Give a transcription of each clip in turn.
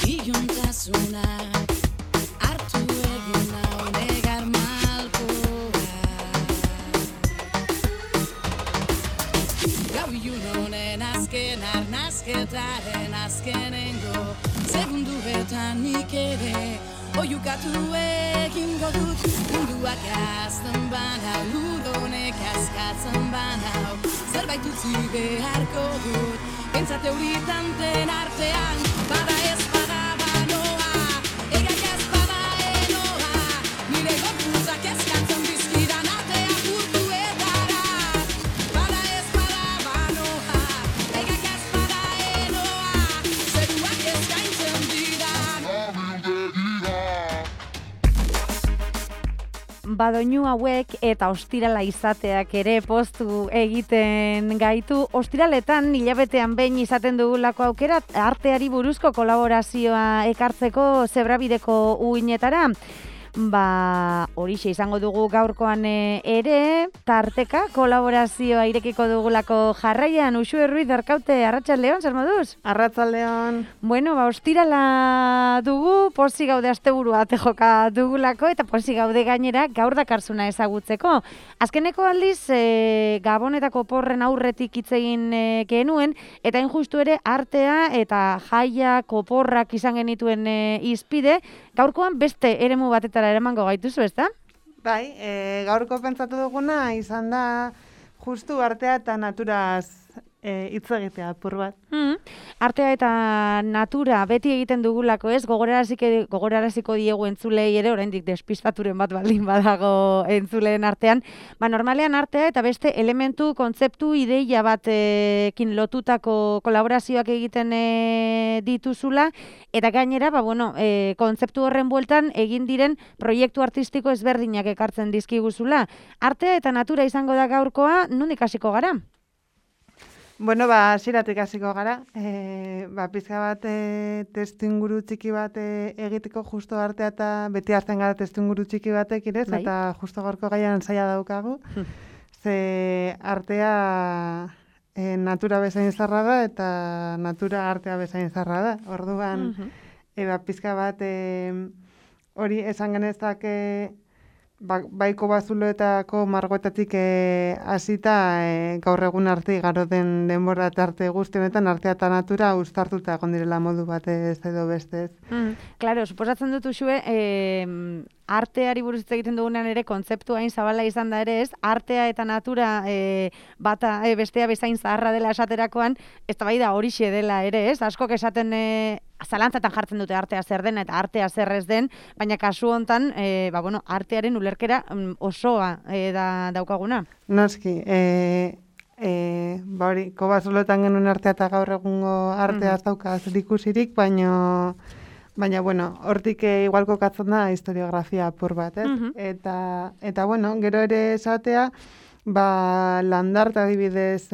Iluntasunak hartu egin nau negar malkoa. Gau ilun honen azken arnazketaren azkenengo segunduetan nik ere oiukatu egingo dut. Munduak azten banau, ludonek askatzen banau, zerbait utzi beharko dut. Pentsat euritan den artean, bada ez bada banoa, egak ez bada enoa, nire gorputzak eskatzen dizkidan atea purtuetara. Bada ez bada banoa, egak ez bada enoa, zeruak eskaintzen didan. Badoinu hauek eta ostirala izateak ere poztu egiten gaitu. Ostiraletan hilabetean behin izaten dugulako aukera arteari buruzko kolaborazioa ekartzeko Zebrabideko uinetara. Horixe izango dugu gaurkoan ere, tarteka kolaborazioa irekiko dugulako jarraian. Uxue Ruiz Arkaute, arratsaldeon, zer moduz? Arratsaldeon. Bueno, ostirala dugu, pozik gaude asteburua joka dugulako, eta pozik gaude gainera gaur dakarzuna ezagutzeko. Azkeneko aldiz, Gabonetako porren aurretik hitz egin genuen, eta injustu ere artea eta jaia koporrak izan genituen izpide, gaurkoan beste eremu batetara eramango gaituzu, ezta? Bai, gaurko pentsatu duguna izan da justu artea eta naturaz hitz egitea apur bat. Artea eta natura beti egiten dugulako, ez? Gogoraraziko diegu entzulei ere, oraindik despistaturen bat baldin badago entzuleen artean. Normalean artea eta beste elementu, kontzeptu, ideia batekin lotutako kolaborazioak egiten dituzula, eta gainera, kontzeptu horren bueltan egin diren proiektu artistiko ezberdinak ekartzen dizkiguzula. Artea eta natura izango da gaurkoa, nondik hasiko gara? Bueno, hasieratik hasiko gara. Pizka bat testuinguru txiki bat egiteko justo artea eta beti hartzen gara testuinguru txiki batekin, ez? Bai. Eta justo gaurko gaian saia daukagu. Ze artea natura bezain zarra da eta natura artea bezain zarra da. Orduan, pizka bat hori esan genezake baiko bazuloetako margoetatik hasita gaur egun arte igaro den denbora eta arte guzti honetan artea eta natura uztartuta egon direla modu batez edo bestez. Claro, suposatzen dut Uxue, arteari buruz hitz egiten dugunean ere kontzeptu hain zabala izan da ere, ez? Artea eta natura bata bestea bezain zaharra dela esaterakoan, eztabaida horixe dela ere, ez? Askok esaten zalantzatan jartzen dute artea zer den eta artea zer ez den, baina kasu hontan, artearen ulerkera osoa daukaguna. Noski, hori, kobazulotan genuen artea eta gaur egungo artea ez dauka zerikusirik, baina hortik igual kokatzen da historiografia apur bat, ez? Eta gero ere esatea, Landarta adibidez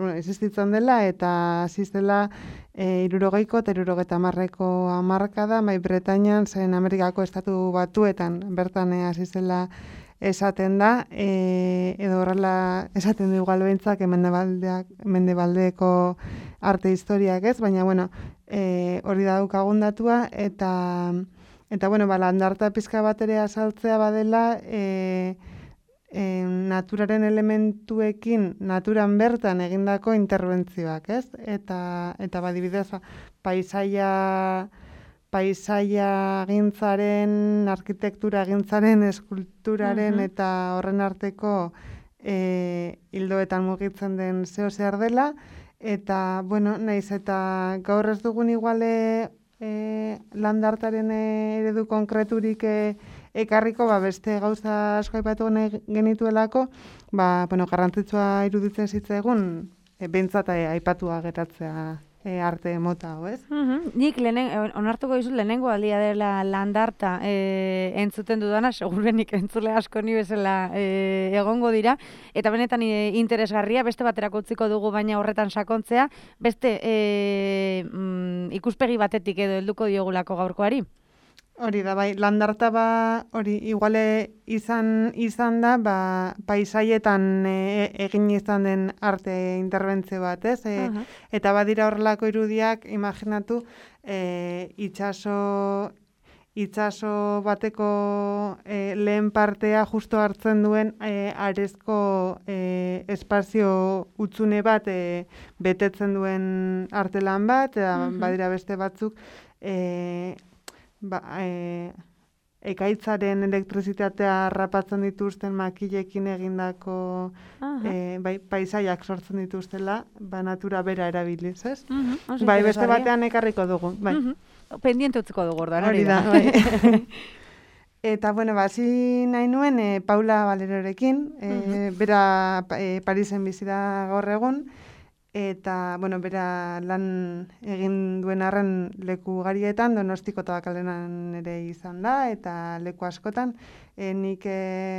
existitzen dela eta ziztela 60ko eta 70ko hamarkada, Bretainian zen Amerikako estatu batuetan bertan hasi zela esaten da, edo horrela esaten du igual behintzak mendebaldeko arte historiak, ez? Baina, hori da daukagun datua, eta landarta pizka bat ere azaltzea badela, naturaren elementuekin, naturan bertan egindako interbentzioak, ez? Eta badibidez, paisaia gintzaren, arkitektura gintzaren, eskulturaren eta horren arteko hildoetan mugitzen den zeo zer dela, eta, naiz eta gaur ez dugun iguale landartaren eredu konkreturik ekarriko, beste gauza asko aipatu genituelako, garrantzitsua iruditzen zitzaigun, behintzat aipatua geratzea arte mota, ez? Nik onartuko dizut lehenengo aldia dela landarta entzuten dudana, segurenik entzule asko ni bezala egongo dira, eta benetan interesgarria, beste baterako utziko dugu baina horretan sakontzea, beste ikuspegi batetik edo helduko diogulako gaurkoari. Hori da, bai, landarta hori iguale izan da, paisaietan egin izan den arte interbentzio bat, ez? Eta badira horrelako irudiak, imaginatu, itxaso bateko lehen partea justo hartzen duen arezko espazio utzune bat betetzen duen artelan bat, eta badira beste batzuk, ekaitzaren elektrizitatea harrapatzen dituzten makilekin egindako paisaiak sortzen dituztela, natura bera erabiliz, ez? Beste batean ekarriko dugu, bai. Pendiente utziko dugu orduan, hori da. Bai. Eta, bueno, hasi nahi nuen Paula Valerorekin, bera Parisen bizi da gaur egun, eta, bueno, bera lan egin duen arren leku garietan, Donostiko Tabakaleran ere izan da, eta leku askotan. Nik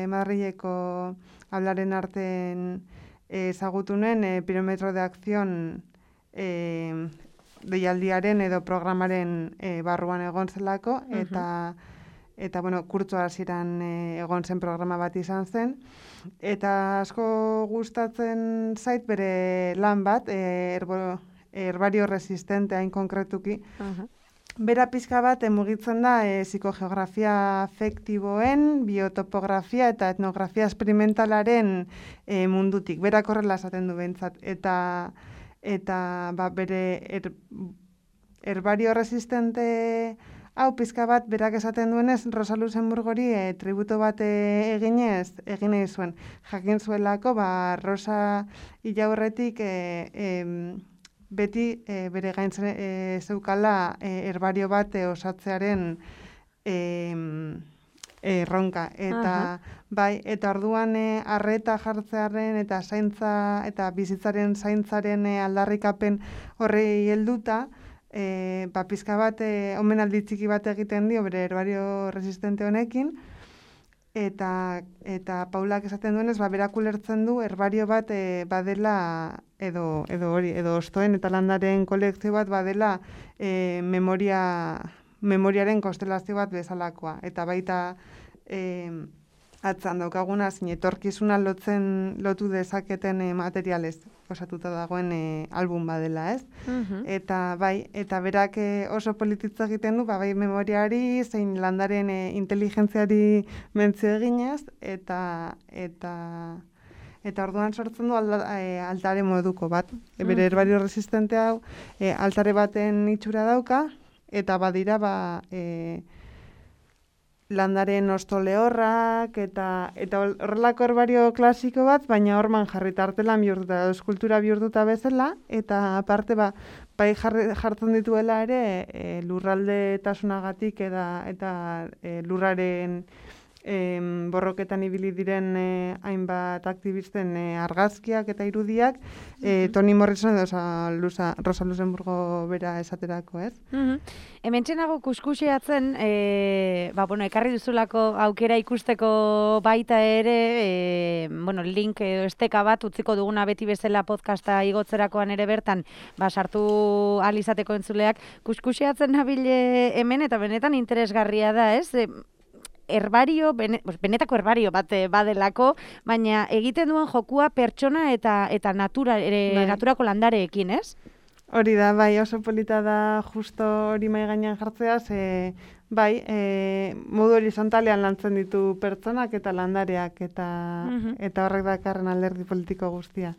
Madrileko hablaren arten ezagutu nuen Pirometro de Acción deialdiaren edo programaren barruan egon zelako, eta bueno, kurtso hasieran egon zen programa bat izan zen, eta asko gustatzen zait bere lan bat, herbario resistente hain konkretuki. Bera pizka bat mugitzen da psikogeografia afektiboen, biotopografia eta etnografia esperimentalaren mundutik. Berak horrela esaten du behintzat, eta bere herbario resistente hau pizka bat berak esaten duenez Rosa Luxemburgori tributo bat egin nahi zuen. Jakin zuelako Rosa Ilaurretik beti bere gain zeukala herbario bat osatzearen erronka. Eta eta orduan arreta jartzearen eta zaintza eta bizitzaren zaintzaren aldarrikapen horri helduta, pizka bat omenaldi txiki bat egiten dio bere herbario resistente honekin, eta Paulak esaten duenez, berak ulertzen du herbario bat badela edo ostoen eta landaren kolekzio bat badela memoriaren konstelazio bat bezalakoa, eta baita atzan daukaguna etorkizuna lotu dezaketen materialez osatuta dagoen album badela, ez? Eta berak oso polititza egiten du, bai memoriari, zein landaren inteligentziari mentzio eginez, eta orduan sortzen du altare moduko bat. Bere herbario resistente hau altare baten itxura dauka, eta badira landaren osto lehorrak, eta horrelako herbario klasiko bat, baina horman jarrita artelan bihurtuta, eskultura bihurtuta bezala, eta aparte bai jartzen dituela ere lurraldetasunagatik eta lurraren borroketan ibili diren hainbat aktivisten argazkiak eta irudiak, Toni Morrison edo Rosa Luxemburgo bera esaterako, ez? Hementxenago kuskuseatzen, ekarri duzulako aukera ikusteko baita ere, link edo esteka bat utziko duguna beti bezala podcasta igotzerakoan ere bertan, sartu ahal izateko entzuleak, kuskuseatzen nabile hemen eta benetan interesgarria da, ez? Benetako herbario bat badelako, baina egiten duen jokua pertsona eta naturako landareekin, ez? Hori da, bai, oso polita da justo hori mahai gainean jartzeaz, modu horizontalean lantzen ditu pertsonak eta landareak, eta horrek dakarren alderdi politiko guztia.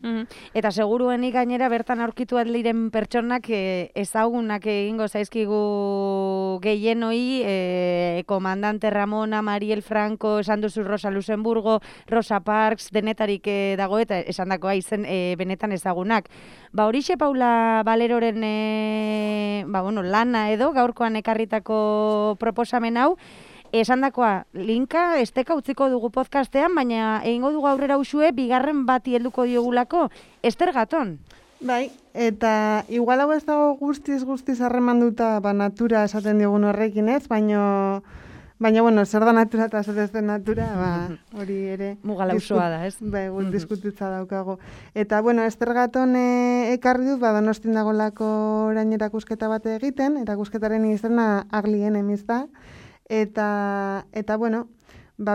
Eta seguruenik gainera bertan aurkitu diren pertsonak ezagunak egingo zaizkigu gehienoi, komandante Ramona, Mariel Franco, esan duzu Rosa Luxemburgo, Rosa Parks, denetarik dago eta esan dakoa izen benetan ezagunak. Horixe Paula Valeroren lana edo gaurkoan ekarritako proposamen hau, esandakoa linka esteka utziko dugu podcastean, baina egingo dugu aurrera usue bigarren bati helduko diogulako, Ester Gaton. Bai, eta igual hau ez dago guztiz harremanduta natura esaten diogun horrekin, ez? Baina, zer da natura eta zer ez den natura, hori ere... Mugala usoa da, ez? Bai, diskutitza daukago. Eta, Ester Gaton ekarri dut, Donostin dagolako orain erakusketa bat egiten, erakusketaren izena Ugly Enemies da, Eta bueno,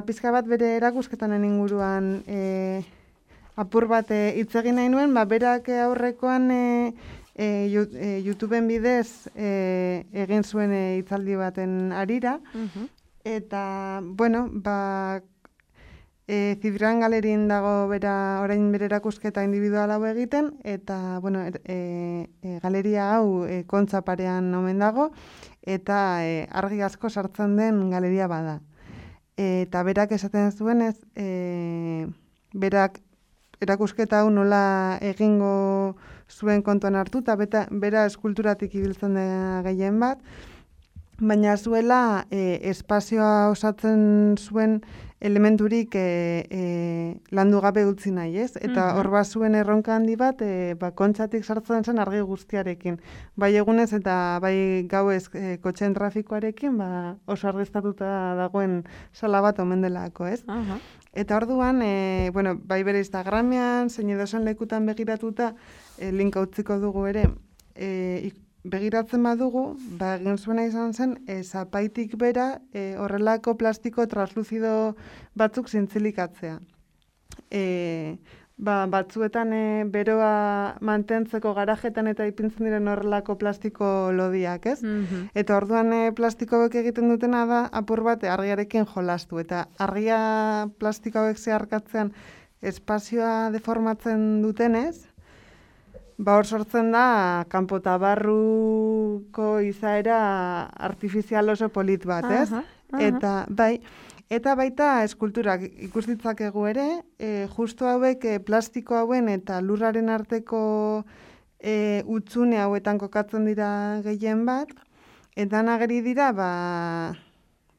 pizka bat bere erakusketanen inguruan apur bat hitz egin nahi nuen, berak aurrekoan YouTubeen bidez egin zuen hitzaldi baten harira, eta, bueno, Zibran Galerin dago orain bere erakusketa individual hau egiten, eta, bueno, galeria hau Kontza parean omen dago, eta argi asko sartzen den galeria bada. Eta berak esaten zuenez, berak erakusketa hau nola egingo zuen kontuan hartu, eta bera eskulturatik ibiltzen da gehien bat, baina zuela espazioa osatzen zuen elementurik landu gabe utzi nahi, ez? Eta hor zuen erronka handi bat, Kontzatik sartzen zen argi guztiarekin. Bai egunez eta bai gauez kotxeen trafikoarekin, oso argiztatuta dagoen sala bat omen delako, ez? Eta orduan, bai bere Instagramean, zein edozen lekutan begiratuta, linka utziko dugu ere, begiratzen badugu, egin zuena izan zen, zapaitik bera horrelako plastiko transluzido batzuk zintzilikatzea. Batzuetan beroa mantentzeko garajetan eta ipintzen diren horrelako plastiko lodiak, ez? Eta orduan plastiko hauek egiten dutena da, apur bat argiarekin jolastu. Eta argia plastiko hauek zeharkatzean espazioa deformatzen dutenez, hor sortzen da kanpo eta barruko izaera artifizial oso polit bat, ez? Eta baita eskulturak ikus ditzakegu ere, justu hauek plastiko hauen eta lurraren arteko hutsune hauetan kokatzen dira gehien bat, eta nageri dira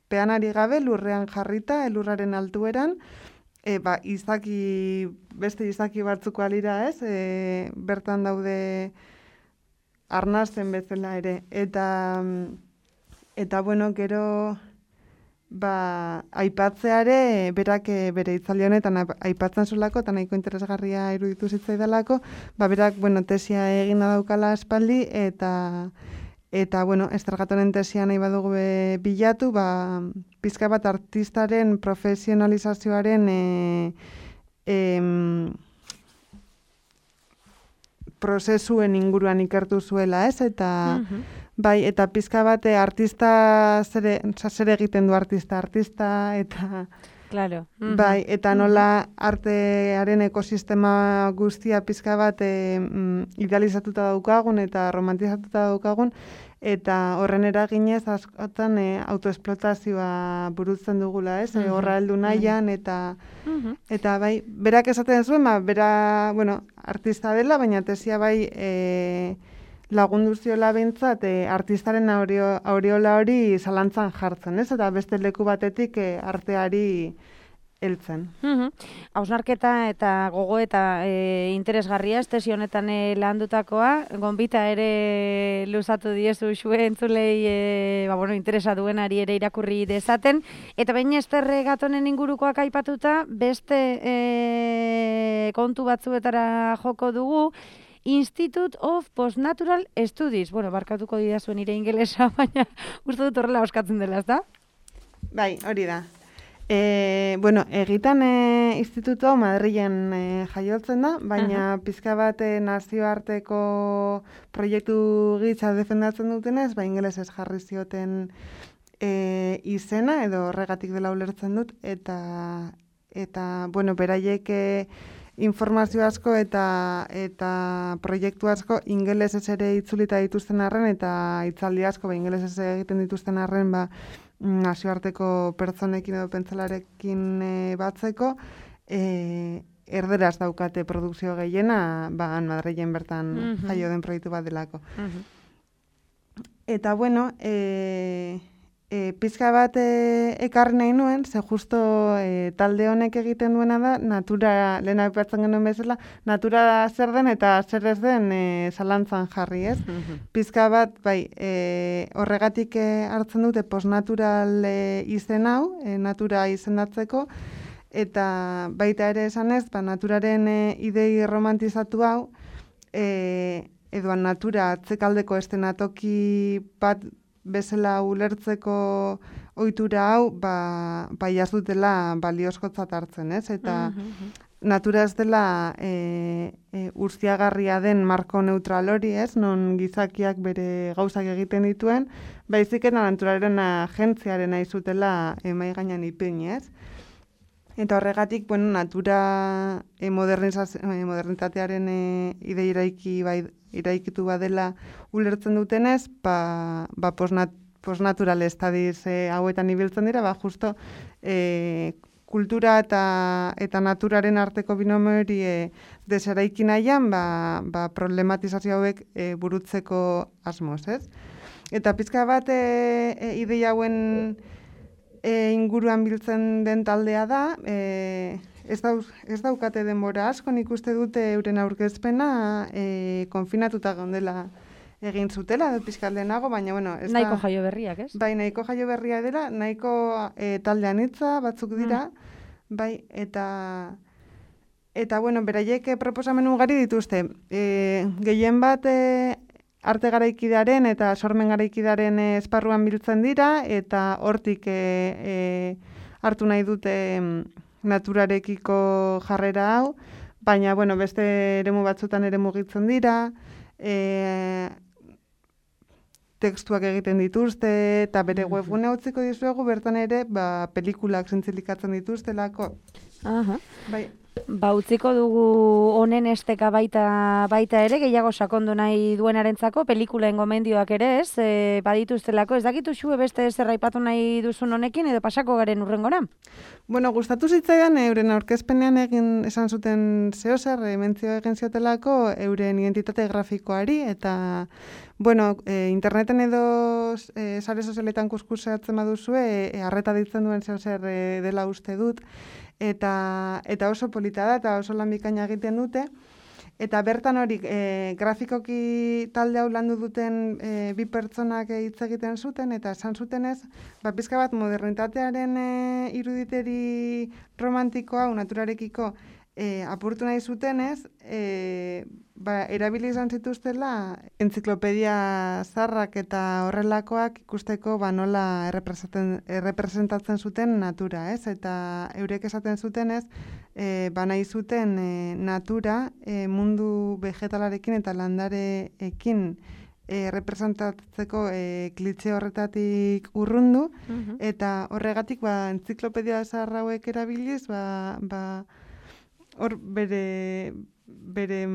peanari gabe lurrean jarrita, lurraren altueran, beste izaki batzuko alira, ez? Bertan daude arnasten bezala ere. Eta bueno, gero aipatzeare berak bere hitzaldi honetan aipatzen zulako, eta nahiko interesgarria iruditu zitzaidalako, berak, tesia egina daukala aspaldi, eta bueno, Estragatonen tesia nahi badugu bilatu, pizka bat artistaren profesionalizazioaren prozesuen inguruan ikertu zuela, ez? Eta eta pizka bat artista zer egiten du artista, eta claro. Eta nola artearen ekosistema guztia pizka bat idealizatuta daukagun eta romantizatuta daukagun, eta horren eraginez askotan autoesplotazioa burutzen dugula, ez? Horra heldu nahian, eta berak esaten zuen, bera, artista dela, baina tesia lagundu ziola behintzat artistaren aureola hori zalantzan jartzen, ez? Eta beste leku batetik arteari heltzen. Hausnarketa eta gogoeta interesgarria, tesi honetan landutakoa, gonbita ere luzatu diezu xue entzulei interesa duenari ere irakurri dezaten, eta baina Ester Gatonen ingurukoak aipatuta, beste kontu batzuetara joko dugu, Institute of Postnatural Studies. Barkatuko didazuen nire ingelesa, baina uste dut horrela oskatzen dela, ez da? Bai, hori da. Egitan instituto Madrilen jaiotzen da, baina pizka bat nazioarteko proiektu gitza defendatzen dutenez, ingelesez jarri zioten izena, edo horregatik dela ulertzen dut, eta beraiek informazio asko eta proiektu asko ingelesez ere itzulita dituzten arren, eta hitzaldi asko ingelesez egiten dituzten arren, nazioarteko pertsonekin edo pentsalarekin batzeko, erderaz daukate produkzio gehiena, Madrilen bertan jaio den proiektu bat delako. Eta pizka bat ekarri nahi nuen, ze justo talde honek egiten duena da, natura, lehen aipatzen genuen bezala, natura zer den eta zer ez den zalantzan jarri, ez? Pizka bat, horregatik hartzen dute postnatural izen hau, natura izendatzeko, eta baita ere esanez, naturaren idei romantizatu hau, edo natura atzekaldeko estenatoki bat bezala ulertzeko ohitura hau ez dutela baliozkotzat hartzen, ez? Eta natura ez dela urziagarria den marko neutral hori, ez? Non gizakiak bere gauzak egiten dituen, baizik eta naturaren agentziaren izutela mahai gainean ipini, ez? Eta horregatik, natura modernitatearen iraikitu badela ulertzen dutenez, posnatural estadiz hauetan ibiltzen dira, justo kultura eta naturaren arteko binomio hori deseraiki nahian, problematizazio hauek burutzeko asmoz, ez? Eta pizka bat ideia hauen inguruan biltzen den taldea da, ez daukate denbora asko, nik uste dute euren aurkezpena konfinatuta gondela egin zutela, pizkat lehenago, baina, ez nahiko jaio berriak, ez? Bai, nahiko jaio berria dela, nahiko taldean hitza batzuk dira, bai, eta beraiek proposamen ugari dituzte. Gehien bat arte garaikidearen eta sormen garaikidearen esparruan biltzen dira, eta hortik hartu nahi dute naturarekiko jarrera hau, baina, beste eremu batzutan ere mugitzen dira, tekstuak egiten dituzte, eta bere webgune utziko dizuegu, bertan ere, pelikulak zintzilikatzen dituztelako. Bai. Utziko dugu honen esteka baita ere, gehiago sakondu nahi duenarentzako, pelikulaen gomendioak ere, ez? Badituztelako, ez dakitu xue beste zerraipatu nahi duzun honekin, edo pasako garen urrengora? Gustatu zitzaidan, euren aurkezpenean esan zuten zehozer, mentzio egin ziotelako euren identitate grafikoari, eta interneten edo sare sozialetan kuskuseatzen baduzue, arreta ditzen duen zehozer dela uste dut, eta oso polita da, eta oso lan bikaina egiten dute, eta bertan hori grafikoki talde hau landu duten bi pertsonak hitz egiten zuten, eta esan zutenez, pizka bat modernitatearen iruditeri romantikoa, naturarekiko apurtu nahi zutenez, erabili izan zituztela entziklopedia zarrak eta horrelakoak ikusteko nola errepresentatzen zuten natura, ez? Eta eurek esaten zutenez, nahi zuten natura mundu vegetalarekin eta landareekin representatzeko klitxe horretatik urrundu, eta horregatik entziklopedia zahar hauek erabiliz, hor bere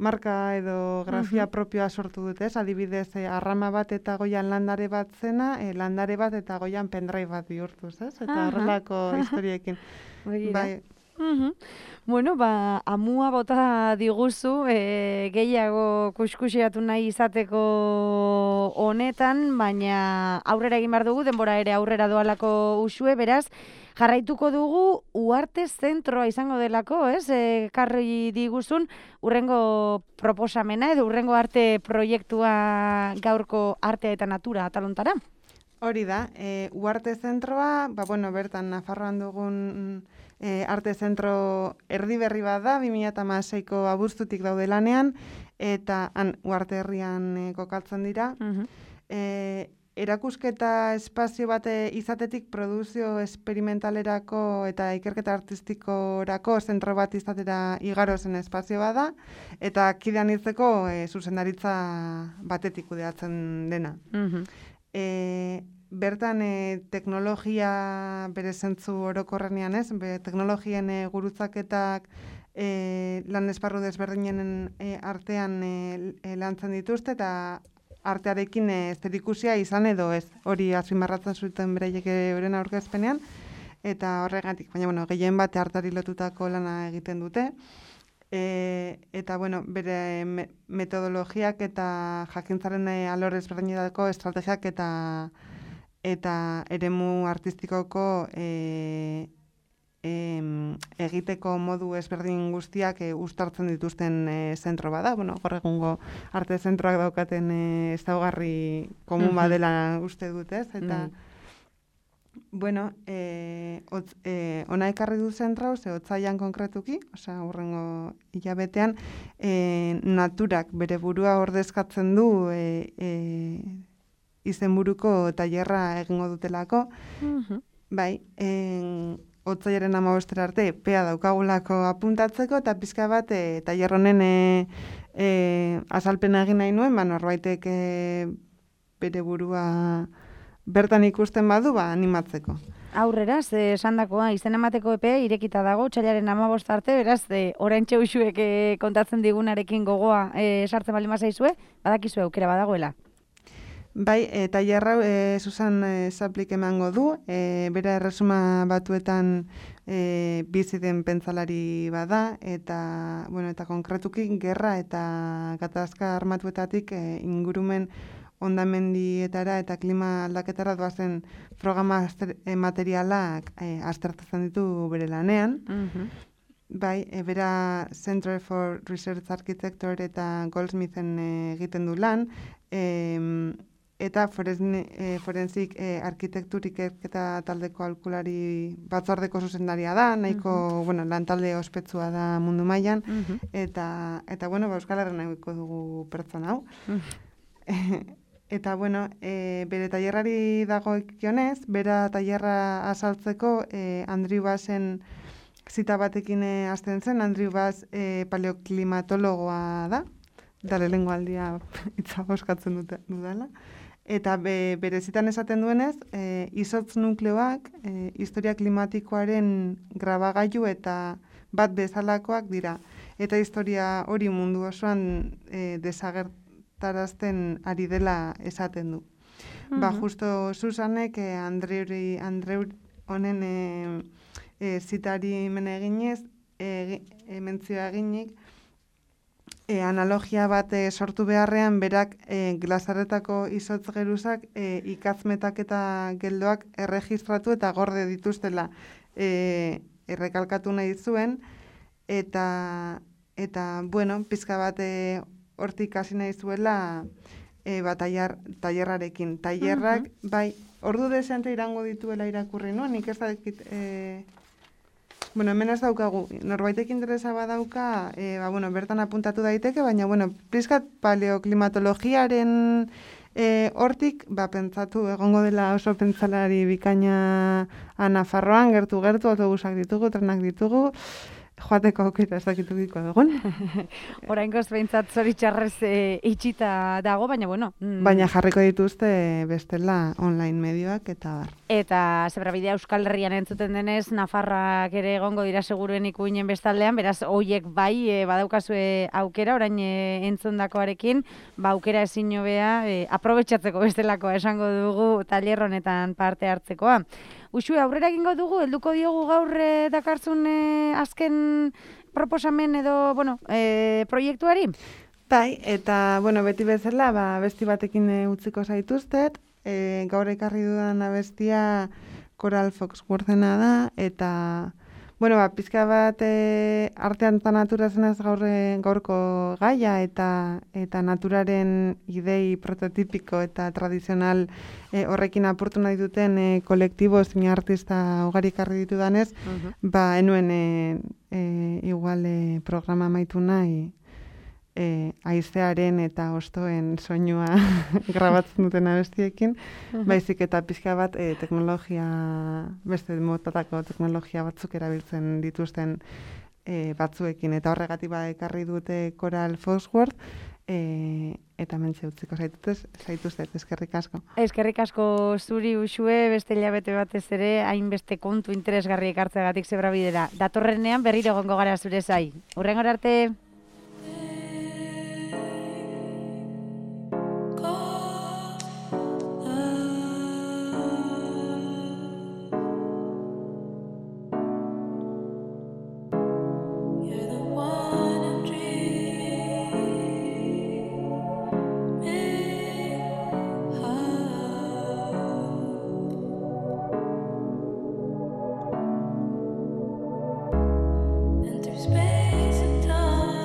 marka edo grafia propioa sortu dute, ez? Adibidez, arrama bat eta goian landare bat zena, landare bat eta goian pendrive bat bihurtuz, ez? Eta horrelako historiekin. Bai. Amua bota diguzu, gehiago kuskusiatu nahi izateko honetan, baina aurrera egin behar dugu, denbora ere aurrera doalako usue, beraz, jarraituko dugu Uarte Zentroa izango delako, ez? Karri diguzun, urrengo proposamena edo urrengo arte proiektua gaurko artea eta natura atalontara? Hori da, Uarte Zentroa, bertan Nafarroan dugun arte zentro erdi berri bat da, 2016ko abuztutik daude lanean, eta Uarte herrian kokatzen dira. Erakusketa espazio bat izatetik produzio esperimentalerako eta ikerketa artistikorako zentro bat izatera igaro zen espazio bat da, eta kidean hitzeko zuzendaritza batetik kudeatzen dena. Bertan teknologia bere zentzu orokorrenean, ez? Teknologien gurutzaketak lan esparru desberdinen artean lantzen dituzte, eta artearekin zerikusia izan edo ez. Hori azpimarratzen zuten beraiek euren aurkezpenean, eta horregatik, baina gehien bat arteari lotutako lana egiten dute. Eta bere metodologiak eta jakintzaren alor ezberdinetako estrategiak eta eremu artistikoko egiteko modu ezberdin guztiak uztartzen dituzten zentro bada. Gaur egungo arte zentroak daukaten ezaugarri komun badela uste dut, ez? Eta ona ekarri du zentrau, otsailean konkretuki, hurrengo hilabetean, naturak bere burua ordezkatzen du izenburuko tailerra egingo dutelako. Bai, otsailaren 15 arte epea daukagulako apuntatzeko, eta pizka bat tailer honen azalpena egin nahi nuen, norbaitek bere burua bertan ikusten badu, animatzeko. Aurrera, esandakoa, izen emateko epea irekita dago, otsailaren 15 arte, beraz, oraintxe uxuek kontatzen digunarekin gogoa sartzen baldin bazaizue, badakizue aukera badagoela. Bai, tailerra Susan Zaplik emango du, bera Erresuma Batuetan bizi den pentsalari bada, eta konkretuki gerra eta gatazka armatuetatik ingurumen hondamendietara eta klima aldaketara doazen programa materialak aztertzen ditu bere lanean. Bai, bera Center for Research Architecture eta Goldsmithen egiten du lan, eta forenzik arkitekturik eta taldeko aholkulari batzordeko zuzendaria da, nahiko lan talde ospetsua da mundu mailan, eta Euskal Herrian nahiko dugu pertsona hau. Eta, bere tailerrari dagokionez, bera tailerra azaltzeko Andrew Bassen zita batekin hasten zen. Andrew Bass paleoklimatologoa da, dale lengo aldia itza boskatzen dudala. Eta bere zitan esaten duenez, izotz nukleoak historia klimatikoaren grabagailu eta bat bezalakoak dira. Eta historia hori mundu osoan desagertarazten ari dela esaten du. Justo Susanek Andreu honen zitari mene eginez, mentzioa eginik, analogia bat sortu beharrean, berak glasaretako izotz geruzak ikazmetak eta geldoak erregistratu eta gorde dituztela errekalkatu nahi zuen, eta pizka bat hortik hasi nahi zuela tailerrarekin. Tailerrak, bai, ordu desente irango dituela irakurri nuen, nik ez dakit... hemen ez daukagu, norbaitek interesa badauka, bertan apuntatu daiteke, baina, pizkat paleoklimatologiaren hortik, pentsatu egongo dela oso pentsalari bikaina Nafarroan, gertu, autobusak ditugu, trenak ditugu, joateko aukera ez dakitugiko dugun. Oraingoz behintzat zoritxarrez itxita dago, baina Baina jarriko dituzte bestela online medioak eta bar. Eta Zebrabidea Euskal Herrian entzuten denez, Nafarrak ere egongo dira seguruen ikuinen bestaldean, beraz, hoiek bai badaukazue aukera, orain entzundakoarekin, aukera ezin hobea aprobetxatzeko bestelakoa esango dugu tailer honetan parte hartzekoa. Uxue, aurrera egingo dugu, helduko diogu gaur dakartzun azken proposamen edo, proiektuari? Bai, eta, beti bezala, abesti batekin utziko zaituztet, gaur ekarri dudan abestia Coral Foxworthena da, eta, pizka bat artean eta natura zenaz gaurko gaia, eta naturaren idei prototipiko eta tradizional horrekin apurtu nahi duten kolektibo zein artista ugari ekarri ditudanez, enuen igual programa amaitu nahi haizearen eta hostoen soinua grabatzen duten abestiekin, baizik eta pizka bat teknologia, beste motatako teknologia batzuk erabiltzen dituzten batzuekin, eta horregatik ekarri dute Coral Foxworth, eta mentxe utziko zaituztet, eskerrik asko. Eskerrik asko zuri Uxue, beste hilabete batez ere, hainbeste kontu interesgarri ekartzeagatik Zebrabidera. Datorrenean berriro egongo gara zure zai. Hurrengora arte! Space and time.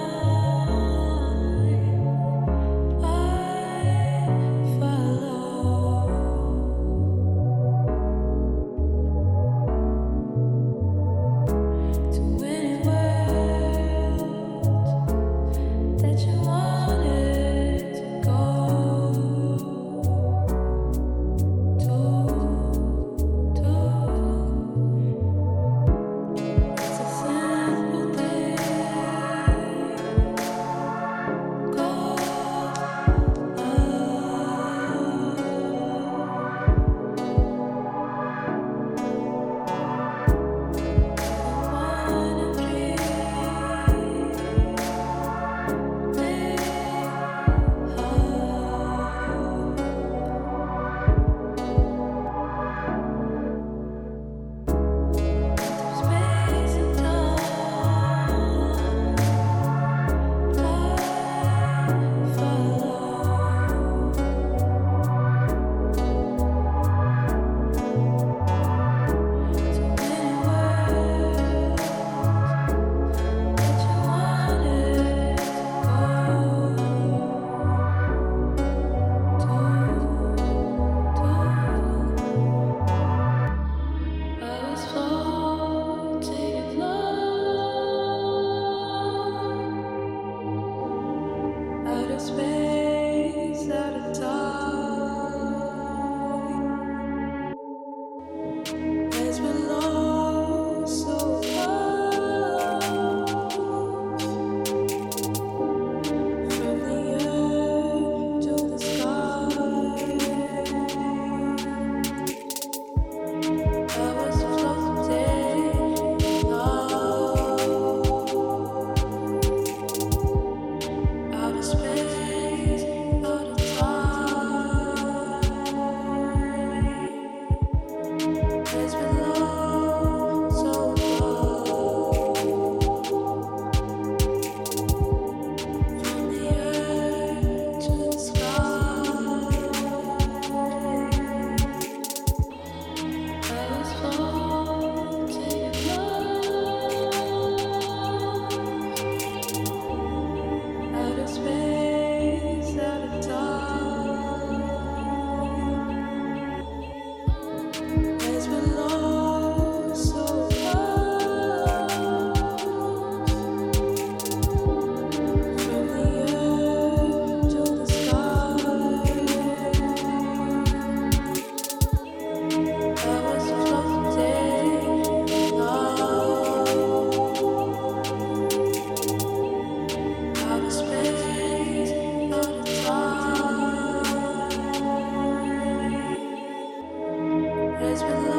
with love.